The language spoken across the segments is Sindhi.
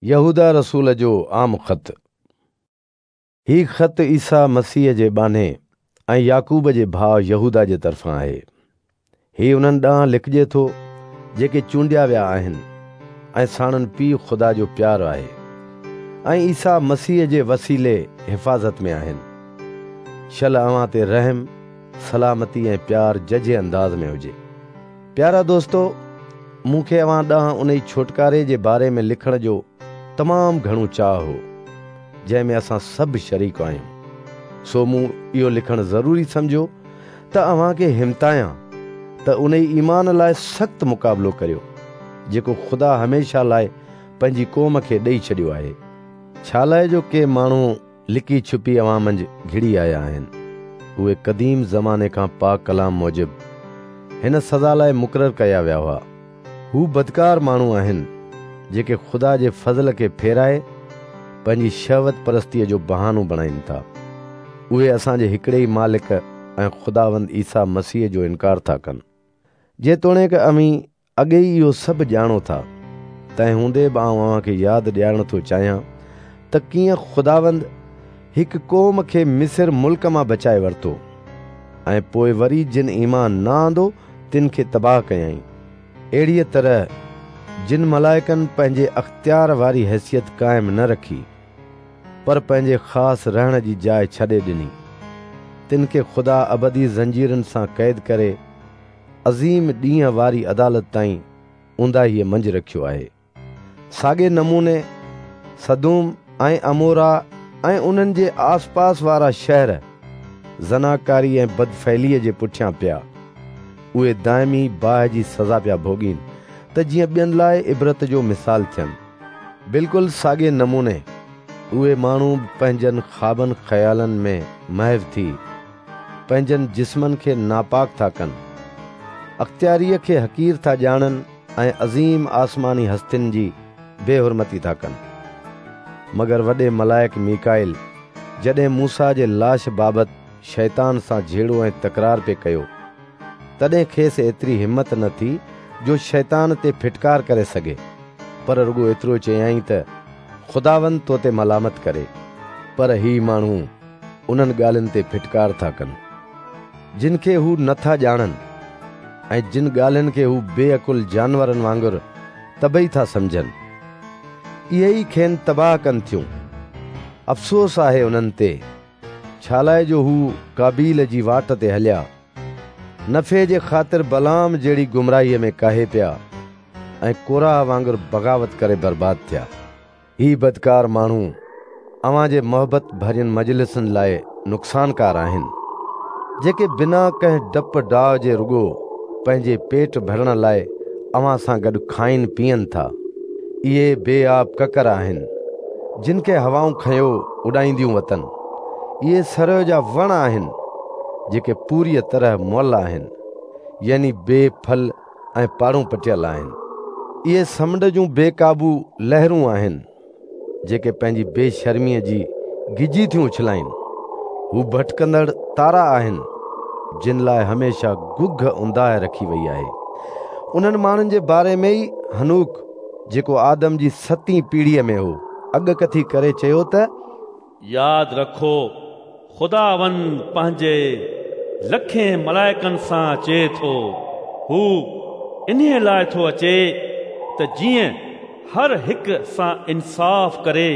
يهوداه رسول جو عام خط. هي خط عيسيٰ مسيح جي ٻانهي ۽ يعقوب جي ڀاء يهوداه جي طرفان آهي. هي انهن ڏانهن لکجي ٿو جيڪي چونڊيا ويا آهن ۽ ساڻن پيء خدا جو پيار آهي ۽ عيسيٰ مسيح جي وسيلي حفاظت ۾ آهن. شل اوهان تي رحم، سلامتي ۽ پيار ججهي انداز ۾ هجي. پيارا دوستو، مون کي اوهان ڏانهن انهي ڇوٽڪاري جي باري ۾ لکڻ جو تمام گهڻو چاهه هو، جنهن ۾ اسان سڀ شريڪ آهيون. سو مون اهو لکڻ ضروري سمجهيو ته اوهان کي همتايان ته انهي ايمان لاء سخت مقابلو ڪريو، جيڪو خدا هميشه لاء پنهنجي قوم کي ڏئي ڇڏيو آهي. ڇالاء جو ڪي ماڻهو لڪي ڇپي اوهان منجهه گهڙي آيا آهن. اهي قديم زماني کان پاڪ ڪلام موجب هن سزا لاء مقرر ڪيا ويا هئا. هو بدڪار ماڻهو آهن، جيڪي خدا جي فضل کي ڦيرائي پنهنجي شهوت پرستيء جو بهانو بڻائين ٿا. اهي اسان جي هڪڙي ئي مالڪ ۽ خداوند عيسيٰ مسيح جو انڪار ٿا ڪن. جيتوڻيڪ اوهين اڳي ئي اهو سڀ ڄاڻو ٿا، تنهن هوندي به آئون اوهان کي ياد ڏيارڻ ٿو چاهيان ته ڪيئن خداوند هڪ قوم کي مصر ملڪ مان بچائي ورتو ۽ پوء وري جن ايمان نه آندو تن کي تباهه ڪيائين. اهڙيء طرح جن ملائڪن پنهنجي اختيار واري حيثيت قائم نه رکي، پر پنهنجي خاص رهڻ جي جاء ڇڏي ڏني، تن کي خدا ابدي زنجيرن سان قيد ڪري عظيم ڏينهن واري عدالت تائين اونداهيء منجهه رکيو آهي. ساڳئي نموني سدوم ۽ عمورا ۽ انهن جي آسپاس وارا شهر زناڪاري ۽ بدفعليء جي پٺيان پيا. اهي دائمي باهه جي سزا پيا ڀوڳين ته جيئن ٻين لاء عبرت جو مثال ٿين. بلڪل ساڳئي نموني اهي ماڻهو به پنهنجن خوابن خيالن ۾ محو ٿي پنهنجن جسمن کي ناپاڪ ٿا ڪن، اختياريء کي حقير ٿا ڄاڻن ۽ عظيم آسماني هستين جي بي حرمتي ٿا ڪن. مگر وڏي ملائڪ ميڪائيل جڏهن موسيٰ جي لاش بابت شيطان سان جهيڙو ۽ تڪرار پئي ڪيو، تڏهن کيس ايتري همت نه ٿي جو شيطان تي ڦٽڪار ڪري سگهي، پر رڳو ايترو چيائين ته، خداوند تو تي ملامت ڪري. پر هي ماڻهو انهن ڳالهين تي ڦٽڪار ٿا ڪن، جن کي هو نه ٿا ڄاڻن ۽ جن ڳالهين کي هو بي عقل جانورن وانگر طبعي ٿا سمجهن، اهي ئي کين تباهه ڪن ٿيون. افسوس آهي انهن تي، ڇالاء جو هو قابيل جي واٽ تي هليا، نفعي جي خاطر بلعام جهڙي گمراهيء ۾ ڪاهي پيا ۽ قورح وانگر بغاوت ڪري برباد ٿيا. هي بدڪار ماڻهو اوهان جي محبت ڀرين مجلسن لاء نقصانڪار آهن، جيڪي بنا ڪنهن ڊپ ڊاء جي رڳو پنهنجي پيٽ ڀرڻ لاء اوهان سان گڏ کائين پيئن ٿا. اهي بي آب ڪڪر آهن، جن کي هوائون کنيو اڏائينديون وتن. اهي سرء جا وڻ آهن، جيڪي پوريء طرح مئل آهن، يعني بي ڦل ۽ پاڙون پٽيل آهن. اهي سمنڊ جون بي قابو لهرون آهن، جيڪي پنهنجي بي شرميء جي گجي ٿيون اڇلائين. هو ڀٽڪندڙ تارا آهن، جن لاء هميشه گگهه اونداهه رکي وئي آهي. انهن ماڻهن جي باري ۾ ئي حنوڪ، جيڪو آدم جي ستين پيڙهيء ۾ هو، اڳڪٿي ڪري چيو ته. ياد رکو، خداوند پنهنجي لکين ملائڪن سان اچي ٿو. هو انهيء لاء ٿو اچي ته جيئن هر هڪ سان انصاف ڪري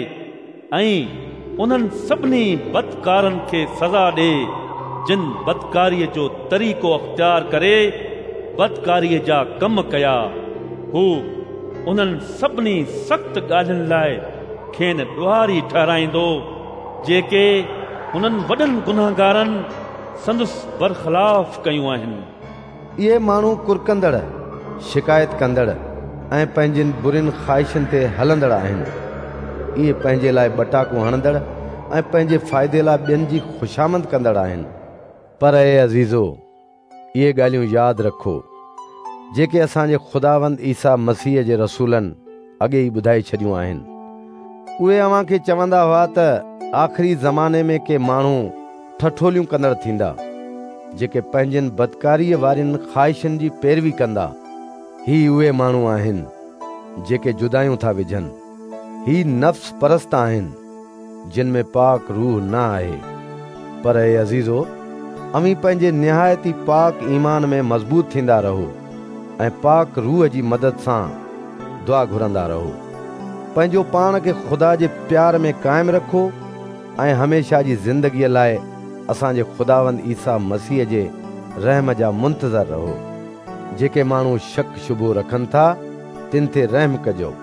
۽ انهن سڀني بدڪارن کي سزا ڏئي، جن بدڪاريء جو طريقو اختيار ڪري بدڪاريء جا ڪم ڪيا. هو انهن سڀني سخت ڳالهين لاء کين ڏوهاري ٺهرائيندو، جيڪي هنن وڏن گنهگارن سندس برخلاف ڪيون آهن. اهي ماڻهو ڪرڪندڙ، شڪايت ڪندڙ ۽ پنهنجين برين خواهشن تي هلندڙ آهن. اهي پنهنجي لاء ٻٽاڪون هڻندڙ ۽ پنهنجي فائدي لاء ٻين جي خوشامند ڪندڙ آهن. پر اي عزيزو! اهي ڳالهيون ياد رکو، جيڪي اسان جي خداوند عيسيٰ مسيح جي رسولن اڳي ئي ٻڌائي ڇڏيون آهن. اهي اوهان کي چوندا هئا ته آخري زماني ۾ ڪي ماڻهو ٺٺوليون ڪندڙ ٿيندا، جيڪي پنهنجين بدڪاريء وارين خواهشن جي پيروي ڪندا. هي اهي ماڻهو آهن، جيڪي جدايون ٿا وجهن. هي نفس پرست آهن، جن ۾ پاڪ روح نه آهي. پر اي عزيزو، اوهين پنهنجي نهايت ئي پاڪ ايمان ۾ مضبوط ٿيندا رهو ۽ پاڪ روح جي مدد سان دعا گهرندا رهو. پنهنجو پاڻ کي خدا جي پيار ۾ قائم رکو ۽ هميشه جي زندگيء لاء اسان جي خداوند عيسيٰ مسيح جي رحم جا منتظر رهو. جيڪي ماڻهو شڪ شبهو رکن ٿا، تن تي رحم ڪجو.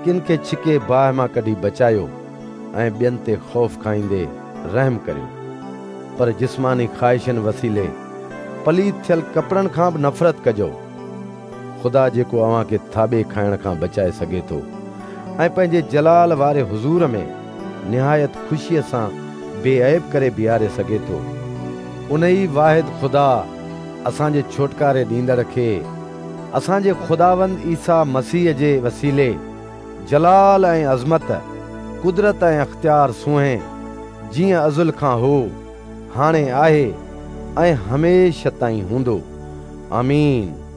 ڪن کي ڇڪي باهه مان ڪڍي بچايو ۽ ٻين تي خوف کائيندي رحم ڪريو. پر جسماني خواهشن وسيلي پليت ٿيل ڪپڙن کان به نفرت ڪجو. خدا جيڪو اوهان کي ٿاٻي کائڻ کان بچائي سگهي ٿو ۽ پنهنجي جلال واري حضور ۾ نهايت خوشيء سان بي عيب ڪري بيهاري سگهي ٿو، انهي واحد خدا اسان جي ڇوٽڪاري ڏيندڙ کي اسان جي خداوند عيسيٰ مسيح جي وسيلي جلال ۽ عظمت، قدرت ۽ اختيار سونهين، جيئن ازل کان هو، هاڻي آهي ۽ هميشه تائين هوندو. آمين.